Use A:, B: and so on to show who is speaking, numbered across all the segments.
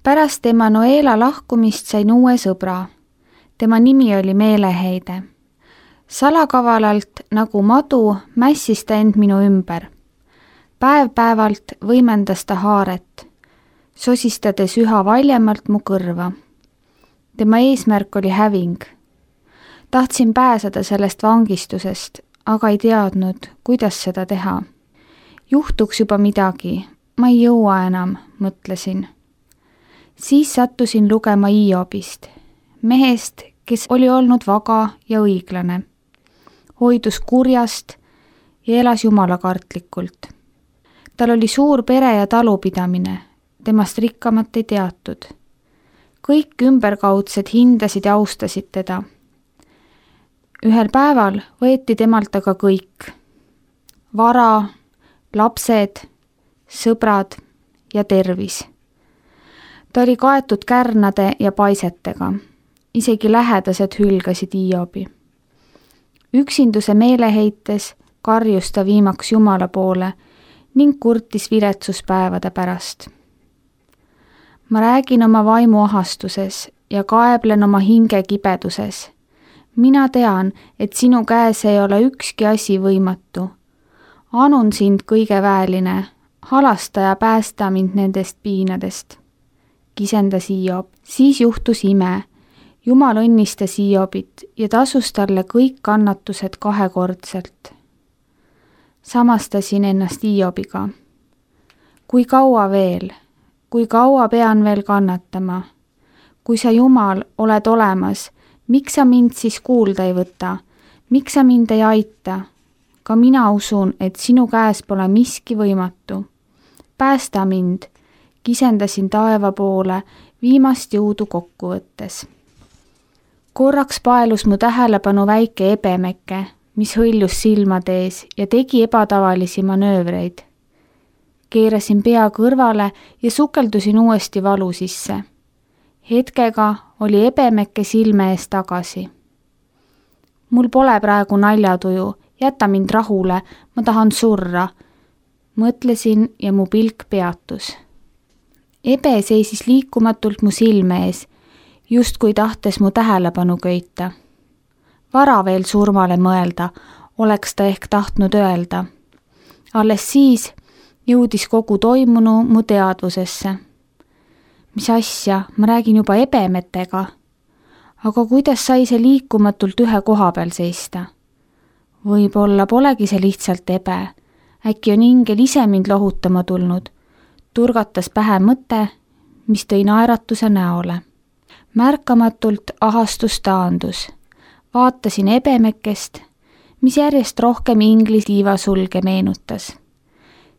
A: Pärast Emanuela lahkumist sain uue sõbra. Tema nimi oli Meeleheide. Salakavalalt nagu madu mässis ta end minu ümber. Päev-päevalt võimendas ta haaret, sosistades üha valjemalt mu kõrva. Tema eesmärk oli häving. Tahtsin pääseda sellest vangistusest, aga ei teadnud, kuidas seda teha. Juhtuks juba midagi, ma ei jõua enam, mõtlesin. Siis sattusin lugema Hiobist, mehest, kes oli olnud vaga ja õiglane. Hoidus kurjast ja elas jumalakartlikult. Tal oli suur pere ja talupidamine, temast rikkamat ei teatud. Kõik ümberkaudsed hindasid ja austasid teda. Ühel päeval võeti temalt aga kõik. Vara, lapsed, sõbrad ja tervis. Ta oli kaetud kärnade ja paisetega. Isegi lähedased hülgasid Hiobi. Üksinduse meeleheites karjus ta viimaks Jumala poole ning kurtis viletsuspäevade pärast. Ma räägin oma vaimu ahastuses ja kaeblen oma hinge kibeduses. Mina tean, et sinu käes ei ole ükski asi võimatu. Anun sind kõige väeline, halasta ja päästa mind nendest piinadest. Kisendas Hiob. Siis juhtus ime. Jumal õnnistas Hiobit ja tasus talle kõik kannatused kahekordselt. Samastasin ennast Hiobiga. Kui kaua veel? Kui kaua pean veel kannatama? Kui sa, Jumal, oled olemas, miks sa mind siis kuulda ei võta? Miks sa mind ei aita? Ka mina usun, et sinu käes pole miski võimatu. Päästa mind, kisendasin taeva poole viimast jõudu kokku võttes. Korraks paelus mu tähelepanu väike ebemeke, mis hõljus silmade ees ja tegi ebatavalisi manöövreid. Keerasin pea kõrvale ja sukeldusin uuesti valu sisse. Hetkega oli ebemeke silme ees tagasi. Mul pole praegu naljatuju, jäta mind rahule, ma tahan surra. Mõtlesin ja mu pilk peatus. Ebe seisis liikumatult mu silme ees, justkui tahtes mu tähelepanu köita. Vara veel surmale mõelda, oleks ta ehk tahtnud öelda. Alles siis jõudis kogu toimunu mu teadvusesse. Mis asja, ma räägin juba ebemetega. Aga kuidas sai see liikumatult ühe koha peal seista? Võib-olla polegi see lihtsalt ebe. Äkki on ingel ise mind lohutama tulnud. Turgatas pähe mõte, mis tõi naeratuse näole. Märkamatult ahastus taandus. Vaatasin ebemekest, mis järjest rohkem inglis tiivasulge meenutas.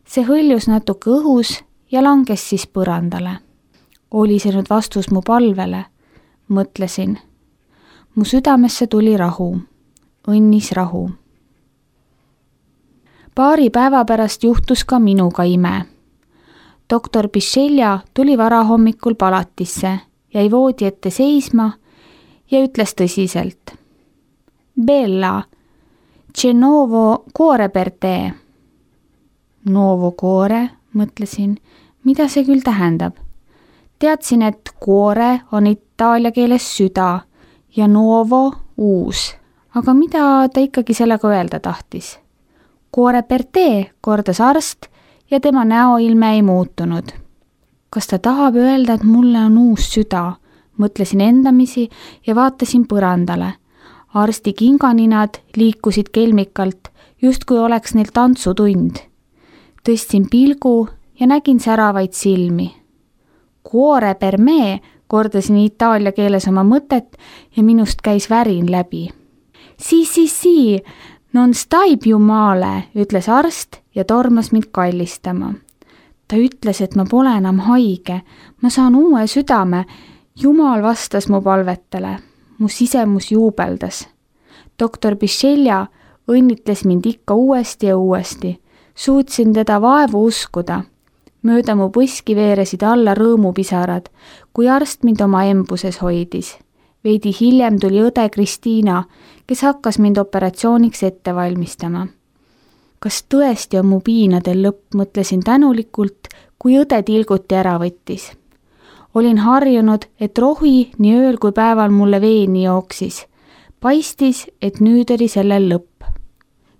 A: See hõljus natuke õhus ja langes siis põrandale. Oli see nüüd vastus mu palvele? Mõtlesin. Mu südamesse tuli rahu. Õnnis rahu. Paari päeva pärast juhtus ka minuga ime. Doktor Biscelja tuli varahommikul palatisse, jäi voodi ette seisma ja ütles tõsiselt. Bella, c'è nuovo cuore per te. Nuovo cuore, mõtlesin, mida see küll tähendab. Teadsin, et cuore on itaalia keeles süda ja nuovo uus. Aga mida ta ikkagi sellega öelda tahtis? Cuore per te, kordas arst ja tema näoilme ei muutunud. Kas ta tahab öelda, et mulle on uus süda? Mõtlesin endamisi ja vaatasin põrandale. Arsti kinganinad liikusid kelmikalt, justkui oleks neil tantsutund. Tõstsin pilgu ja nägin säravaid silmi. Cuore per me, kordasin itaalia keeles oma mõtet ja minust käis värin läbi. Si, non stai più male, ütles arst ja tormas mind kallistama. Ta ütles, et ma pole enam haige, ma saan uue südame. Jumal vastas mu palvetele. Mu sisemus juubeldas. Doktor Biscelja õnnitles mind ikka uuesti ja uuesti. Suutsin teda vaevu uskuda. Mööda mu põski veeresid alla rõõmupisarad, kui arst mind oma embuses hoidis. Veidi hiljem tuli õde Kristiina, kes hakkas mind operatsiooniks ette valmistama. Kas tõesti on mu piinadel lõpp, mõtlesin tänulikult, kui õde tilguti ära võttis. Olin harjunud, et rohi nii ööl kui päeval mulle veeni jooksis. Paistis, et nüüd oli sellel lõpp.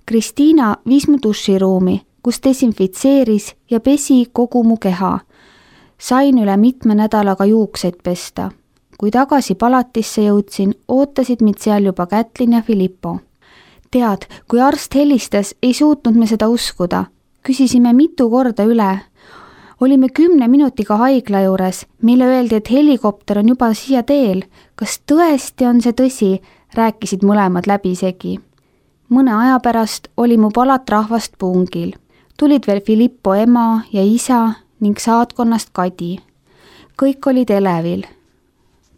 A: Kristiina viis mu duširuumi, kus desinfitseeris ja pesi kogu mu keha. Sain üle mitme nädalaga juukseid pesta. Kui tagasi palatisse jõudsin, ootasid mind seal juba Kätlin ja Filippo. Tead, kui arst helistas, ei suutnud me seda uskuda. Küsisime mitu korda üle. Olime 10 minutiga haigla juures. Meile öeldi, et helikopter on juba siia teel. Kas tõesti on see tõsi? Rääkisid mõlemad läbisegi. Mõne aja pärast oli mu palat rahvast pungil. Tulid veel Filippo ema ja isa ning saatkonnast Kadi. Kõik olid elevil.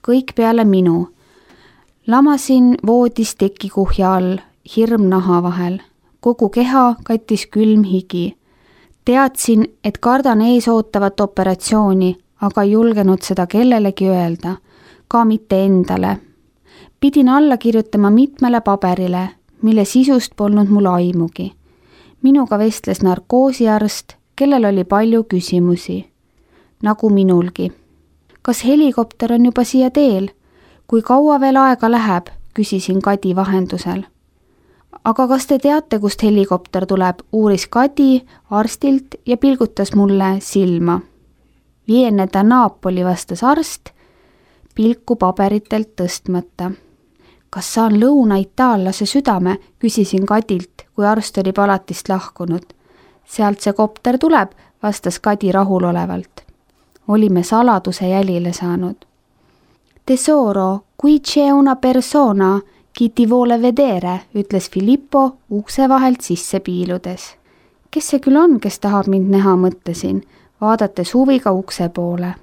A: Kõik peale minu. Lamasin voodis tekikuhja all, hirm naha vahel. Kogu keha kattis külm higi. Teadsin, et kardan ees ootavat operatsiooni, aga ei julgenud seda kellelegi öelda, ka mitte endale. Pidin alla kirjutama mitmele paberile, mille sisust polnud mul aimugi. Minuga vestles narkoosiarst, kellel oli palju küsimusi. Nagu minulgi. Kas helikopter on juba siia teel? Kui kaua veel aega läheb, küsisin Kadi vahendusel. Aga kas te teate, kust helikopter tuleb, uuris Kadi arstilt ja pilgutas mulle silma. Viene da Napoli, vastas arst, pilku paberitelt tõstmata. Kas saan lõuna-itaallase südame, küsisin Kadilt, kui arst oli palatist lahkunud. Sealt see kopter tuleb, vastas Kadi rahulolevalt. Olime saladuse jälile saanud. Tesoro, qui c'è una persona, chi ti vuole vedere, ütles Filippo ukse vahelt sisse piiludes. Kes see küll on, kes tahab mind näha, mõtlesin, vaadates huviga ukse poole.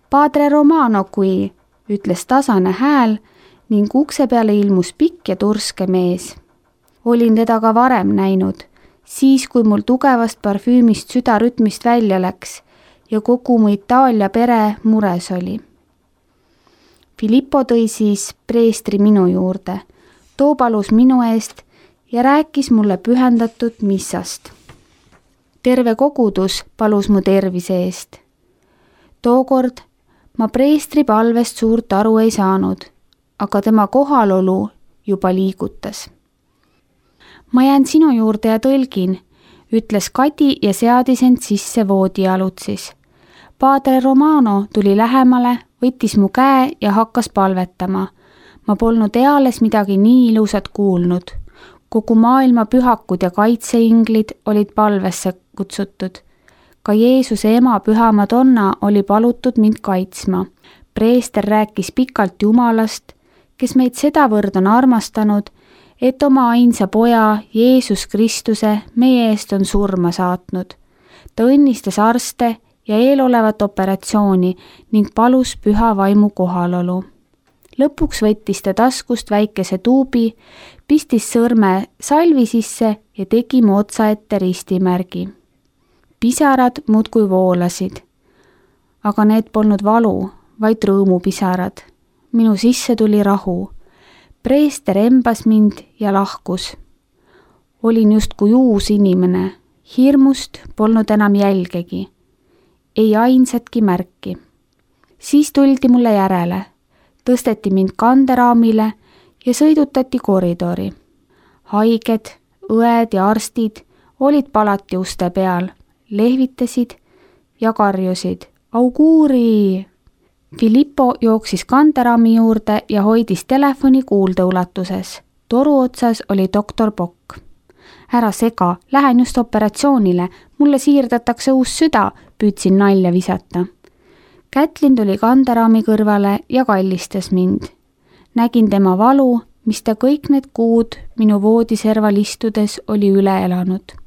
A: Padre Romano kui, ütles tasane hääl ning ukse peale ilmus pikk ja turske mees. Olin teda ka varem näinud, siis kui mul tugevast parfüümist süda rütmist välja läks ja kogu mu Itaalia pere mures oli. Filippo tõi siis preestri minu juurde, too palus minu eest ja rääkis mulle pühendatud missast. Terve kogudus palus mu tervise eest. Tookord ma preestri palvest suurt aru ei saanud, aga tema kohalolu juba liigutas. Ma jään sinu juurde ja tõlgin, ütles Kadi ja seadis end sisse voodialutsis. Padre Romano tuli lähemale, võttis mu käe ja hakkas palvetama. Ma polnud eales midagi nii ilusat kuulnud. Kogu maailma pühakud ja kaitseinglid olid palvesse kutsutud. Ka Jeesuse ema Püha Madonna oli palutud mind kaitsma. Preester rääkis pikalt Jumalast, kes meid sedavõrd on armastanud, et oma ainsa poja Jeesus Kristuse meie eest on surma saatnud. Ta õnnistas arste ja eelolevat operatsiooni ning palus püha vaimu kohalolu. Lõpuks võttis ta taskust väikese tuubi, pistis sõrme salvi sisse ja tegi mu otsa ette ristimärgi. Pisarad muudkui voolasid, aga need polnud valu, vaid rõõmupisarad. Minu sisse tuli rahu. Preester embas mind ja lahkus. Olin justkui uus inimene. Hirmust polnud enam jälgegi. Ei ainsatki märki. Siis tuldi mulle järele. Tõsteti mind kanderaamile ja sõidutati koridori. Haiged, õed ja arstid olid palati uste peal, lehvitasid ja karjusid. Auguuri! Filippo jooksis kanderaami juurde ja hoidis telefoni kuuldeulatuses. Toru otsas oli doktor Pokk. Ära sega, lähen just operatsioonile, mulle siirdatakse uus süda, püüdsin nalja visata. Kätlin tuli kanderaami kõrvale ja kallistas mind. Nägin tema valu, mis ta kõik need kuud minu voodiserval istudes oli üle elanud.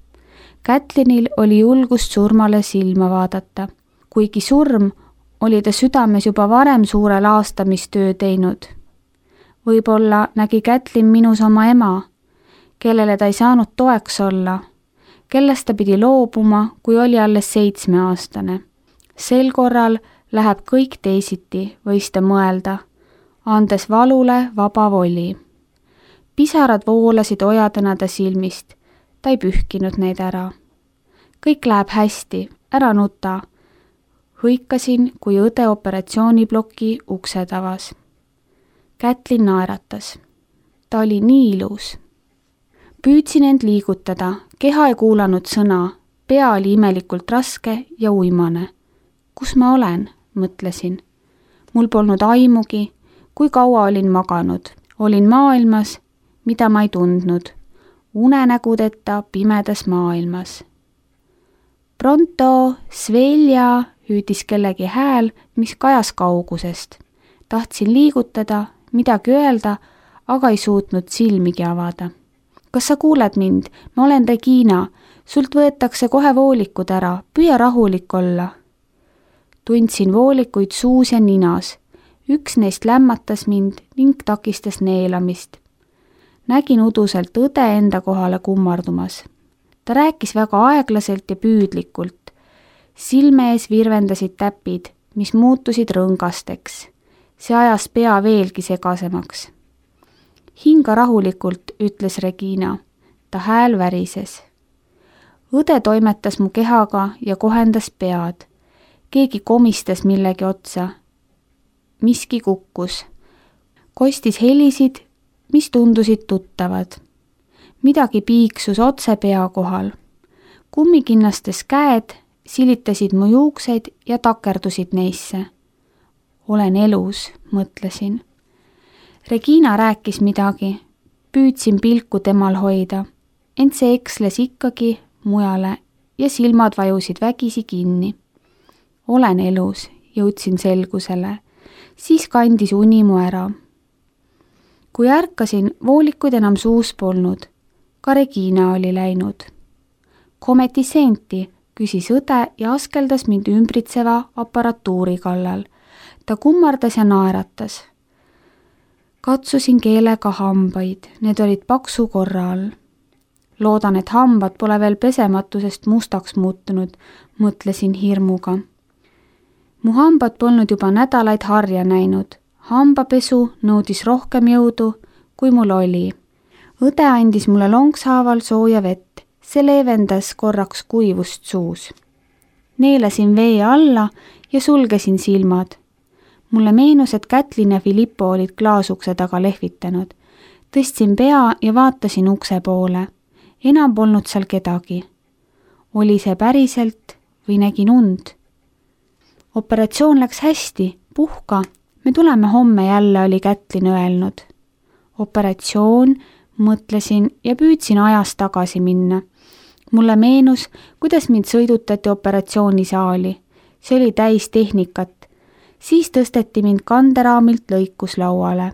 A: Kätlinil oli julgust surmale silma vaadata. Kuigi surm, oli ta südames juba varem suure laastamistöö teinud. Võib-olla nägi Kätlin minus oma ema, kellele ta ei saanud toeks olla, kellest ta pidi loobuma, kui oli alles 7-aastane. Sel korral läheb kõik teisiti, võis ta mõelda, andes valule vaba voli. Pisarad voolasid ojadena ta silmist, ta ei pühkinud neid ära. Kõik läheb hästi, ära nuta. Hõikasin, kui õde operatsiooniploki uksed avas. Kätlin naeratas. Ta oli nii ilus. Püüdsin end liigutada, keha ei kuulanud sõna, pea oli imelikult raske ja uimane. Kus ma olen, mõtlesin. Mul polnud aimugi, kui kaua olin maganud. Olin maailmas, mida ma ei tundnud. Unenägudeta pimedas maailmas. Pronto, svelja, hüüdis kellegi hääl, mis kajas kaugusest. Tahtsin liigutada, midagi öelda, aga ei suutnud silmigi avada. Kas sa kuuled mind? Ma olen Regina. Sult võetakse kohe voolikud ära. Püüa rahulik olla. Tundsin voolikuid suus ja ninas. Üks neist lämmatas mind ning takistas neelamist. Nägin uduselt õde enda kohale kummardumas. Ta rääkis väga aeglaselt ja püüdlikult. Silme ees virvendasid täpid, mis muutusid rõngasteks. See ajas pea veelgi segasemaks. Hinga rahulikult, ütles Regina. Ta hääl värises. Õde toimetas mu kehaga ja kohendas pead. Keegi komistas millegi otsa. Miski kukkus. Kostis helisid, mis tundusid tuttavad. Midagi piiksus otse pea kohal. Kummikinnastes käed silitasid mu juukseid ja takerdusid neisse. Olen elus, mõtlesin. Regina rääkis midagi. Püüdsin pilku temal hoida, ent see eksles ikkagi mujale ja silmad vajusid vägisi kinni. Olen elus, jõudsin selgusele. Siis kandis uni mu ära. Kui ärkasin, voolikuid enam suus polnud. Ka Regina oli läinud. Kometi senti, küsis õde ja askeldas mind ümbritseva aparatuuri kallal. Ta kummardas ja naeratas. Katsusin keelega hambaid, need olid paksu korra all. Loodan, et hambad pole veel pesematusest mustaks muutunud, mõtlesin hirmuga. Mu hambad polnud juba nädalaid harja näinud. Hambapesu nõudis rohkem jõudu, kui mul oli. Õde andis mulle lonkshaaval sooja vett. See leevendas korraks kuivust suus. Neelasin vee alla ja sulgesin silmad. Mulle meenus, et Kätlin ja Filippo olid klaasukse taga lehvitanud. Tõstsin pea ja vaatasin ukse poole. Enam polnud seal kedagi. Oli see päriselt või nägin und? Operatsioon läks hästi, puhka. Me tuleme homme jälle, oli Kätlin öelnud. Operatsioon, mõtlesin ja püüdsin ajas tagasi minna. Mulle meenus, kuidas mind sõidutati operatsioonisaali. See oli täis tehnikat. Siis tõsteti mind kanderaamilt lõikuslauale.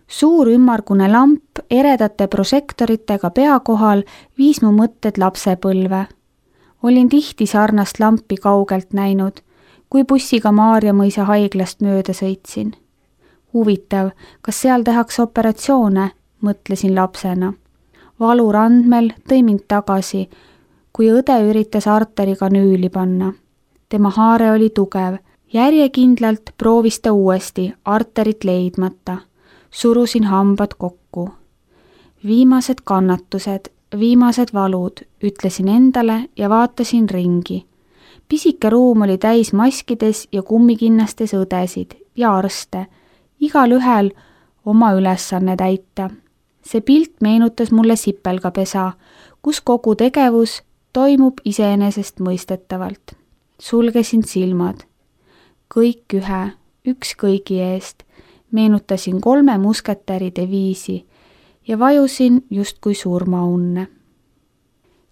A: Suur ümmargune lamp eredate prožektoritega pea kohal viis mu mõtted lapsepõlve. Olin tihti sarnast lampi kaugelt näinud, kui bussiga Maarjamõisa haiglast mööda sõitsin. Huvitav, kas seal tehakse operatsioone, mõtlesin lapsena. Valu randmel tõi mind tagasi, kui õde üritas arteriga nüüli panna. Tema haare oli tugev. Järjekindlalt proovis ta uuesti arterit leidmata. Surusin hambad kokku. Viimased kannatused, viimased valud, ütlesin endale ja vaatasin ringi. Pisike ruum oli täis maskides ja kummikinnastes õdesid ja arste. Igal ühel oma ülesanne täita. See pilt meenutas mulle sipelgapesa, kus kogu tegevus toimub iseenesest mõistetavalt. Sulgesin silmad. Kõik ühe, üks kõigi eest, meenutasin 3 musketäri deviisi ja vajusin justkui surmaunne.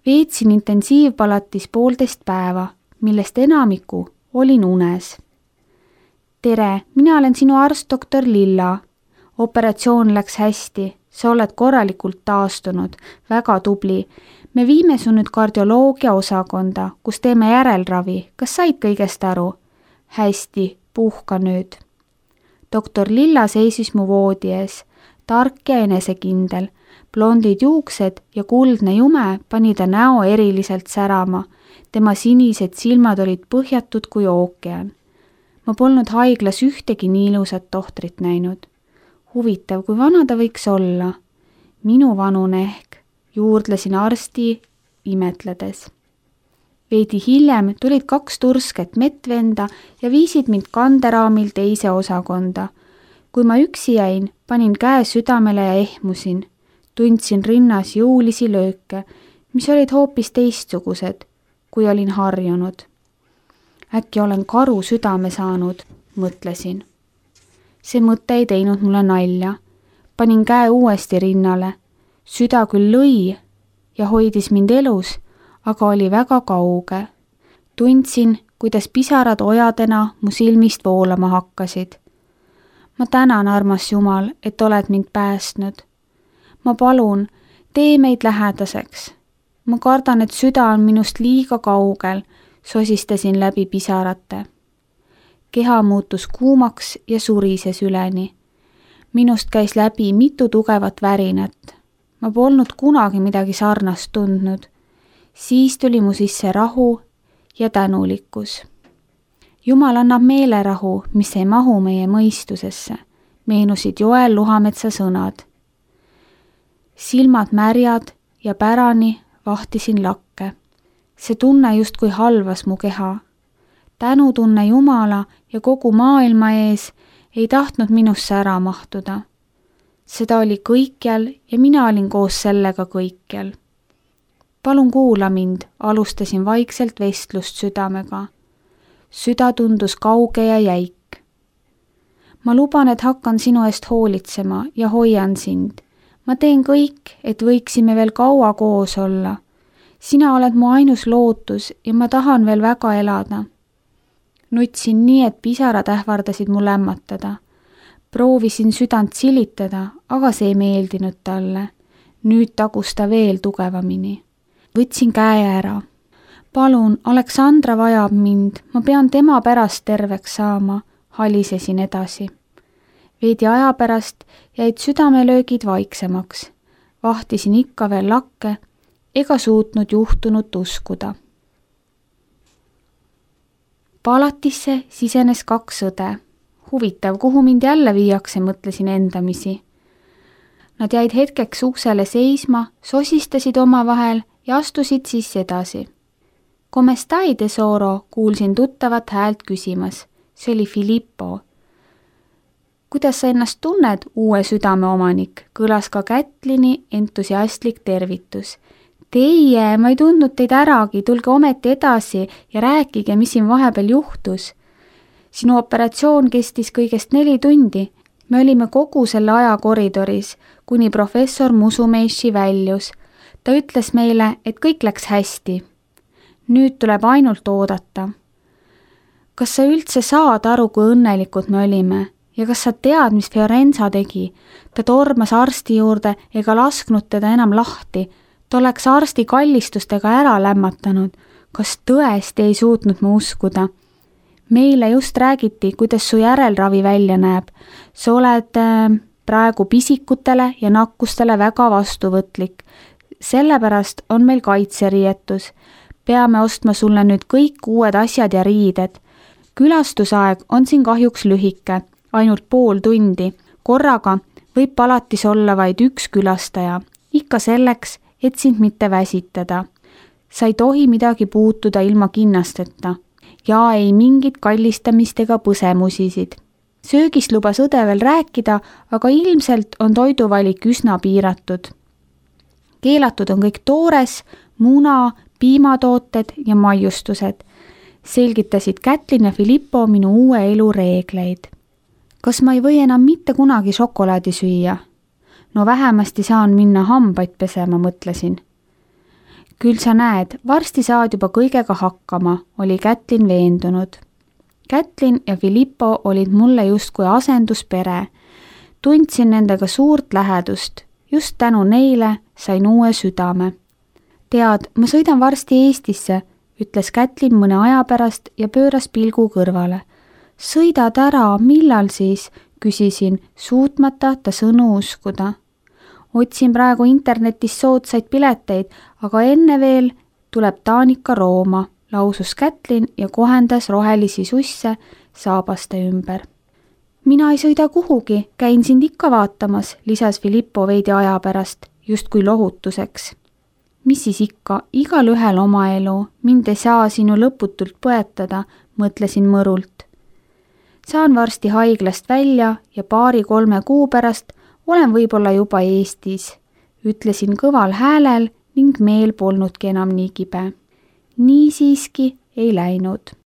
A: Veetsin intensiivpalatis 1,5 päeva, millest enamiku olin unes. Tere, mina olen sinu arst doktor Lilla. Operatsioon läks hästi, sa oled korralikult taastunud, väga tubli. Me viime su nüüd kardioloogia osakonda, kus teeme järelravi. Kas said kõigest aru? Hästi, puhka nüüd. Doktor Lilla seisis mu voodi ees, tark ja enesekindel. Blondid juuksed ja kuldne jume pani ta näo eriliselt särama. Tema sinised silmad olid põhjatud kui ookean. Ma polnud haiglas ühtegi nii ilusat tohtrit näinud. Huvitav, kui vana ta võiks olla. Minu vanune ehk, juurdlesin arsti imetledes. Veidi hiljem tulid 2 tursket mettvenda ja viisid mind kanderaamil teise osakonda. Kui ma üksi jäin, panin käe südamele ja ehmusin. Tundsin rinnas jõulisi lööke, mis olid hoopis teistsugused, kui olin harjunud. Äkki olen karu südame saanud, mõtlesin. See mõte ei teinud mulle nalja. Panin käe uuesti rinnale. Süda küll lõi ja hoidis mind elus, aga oli väga kauge. Tundsin, kuidas pisarad ojadena mu silmist voolama hakkasid. Ma tänan, armas Jumal, et oled mind päästnud. Ma palun, tee meid lähedaseks. Ma kardan, et süda on minust liiga kaugel, sosistasin läbi pisarate. Keha muutus kuumaks ja surises üleni. Minust käis läbi mitu tugevat värinat. Ma polnud kunagi midagi sarnast tundnud. Siis tuli mu sisse rahu ja tänulikkus. Jumal annab meelerahu, mis ei mahu meie mõistusesse, meenusid Joel Luhametsa sõnad. Silmad märjad ja pärani vahtisin lakke. See tunne justkui halvas mu keha. Tänutunne Jumala ja kogu maailma ees ei tahtnud minusse ära mahtuda. Seda oli kõikjal ja mina olin koos sellega kõikjal. Palun kuula mind, alustasin vaikselt vestlust südamega. Süda tundus kauge ja jäik. Ma luban, et hakkan sinu eest hoolitsema ja hoian sind. Ma teen kõik, et võiksime veel kaua koos olla. Sina oled mu ainus lootus ja ma tahan veel väga elada. Nutsin nii, et pisarad ähvardasid mu lämmatada. Proovisin südant silitada, aga see ei meeldinud talle. Nüüd tagus ta veel tugevamini. Võtsin käe ära. Palun, Aleksandra vajab mind, ma pean tema pärast terveks saama, halisesin edasi. Veidi aja pärast jäid südamelöögid vaiksemaks. Vahtisin ikka veel lakke, ega suutnud juhtunut uskuda. Palatisse sisenes 2 õde. Huvitav, kuhu mind jälle viiakse, mõtlesin endamisi. Nad jäid hetkeks uksele seisma, sosistasid omavahel ja astusid siis edasi. Come stai, tesoro, kuulsin tuttavat häält küsimas. See oli Filippo. Kuidas sa ennast tunned, uue südame omanik? Kõlas ka Kätlini entusiastlik tervitus. Teie, ma ei tundnud teid äragi, tulge ometi edasi ja rääkige, mis siin vahepeal juhtus. Sinu operatsioon kestis kõigest 4 tundi. Me olime kogu selle aja koridoris, kuni professor Musumeishi väljus. Ta ütles meile, et kõik läks hästi. Nüüd tuleb ainult oodata. Kas sa üldse saad aru, kui õnnelikud me olime? Ja kas sa tead, mis Fiorenza tegi? Ta tormas arsti juurde ega lasknud teda enam lahti. Ta oleks arsti kallistustega ära lämmatanud. Kas tõesti ei suutnud ma uskuda? Meile just räägiti, kuidas su järelravi välja näeb. Sa oled praegu pisikutele ja nakkustele väga vastuvõtlik. Sellepärast on meil kaitseriietus. Peame ostma sulle nüüd kõik uued asjad ja riided. Külastusaeg on siin kahjuks lühike, ainult pool tundi. Korraga võib palatis olla vaid 1 külastaja. Ikka selleks, et sind mitte väsitada. Sa ei tohi midagi puutuda ilma kinnasteta. Ja ei mingit kallistamist ega põsemusisid. Söögist lubas õde veel rääkida, aga ilmselt on toiduvalik üsna piiratud. Keelatud on kõik toores, muna, piimatooted ja maiustused. Selgitasid Kätlin ja Filippo minu uue elu reegleid. Kas ma ei või enam mitte kunagi šokolaadi süüa? No vähemasti saan minna hambaid pesema, mõtlesin. Küll sa näed, varsti saad juba kõigega hakkama, oli Kätlin veendunud. Kätlin ja Filippo olid mulle justkui asenduspere. Tundsin nendega suurt lähedust. Just tänu neile sain uue südame. Tead, ma sõidan varsti Eestisse, ütles Kätlin mõne aja pärast ja pööras pilgu kõrvale. Sõidad ära, millal siis? Küsisin, suutmata ta sõnu uskuda. Otsin praegu internetis soodsaid pileteid, aga enne veel tuleb Taanika Rooma, lausus Kätlin ja kohendas rohelisi susse saabaste ümber. Mina ei sõida kuhugi, käin sind ikka vaatamas, lisas Filippo veidi aja pärast, justkui lohutuseks. mis siis ikka, igalühel oma elu, mind ei saa sinu lõputult põetada, mõtlesin mõrult. Saan varsti haiglast välja ja 2-3 kuu pärast olen võib-olla juba Eestis, ütlesin kõval häälel ning meel polnudki enam nii kibe. Nii siiski ei läinud.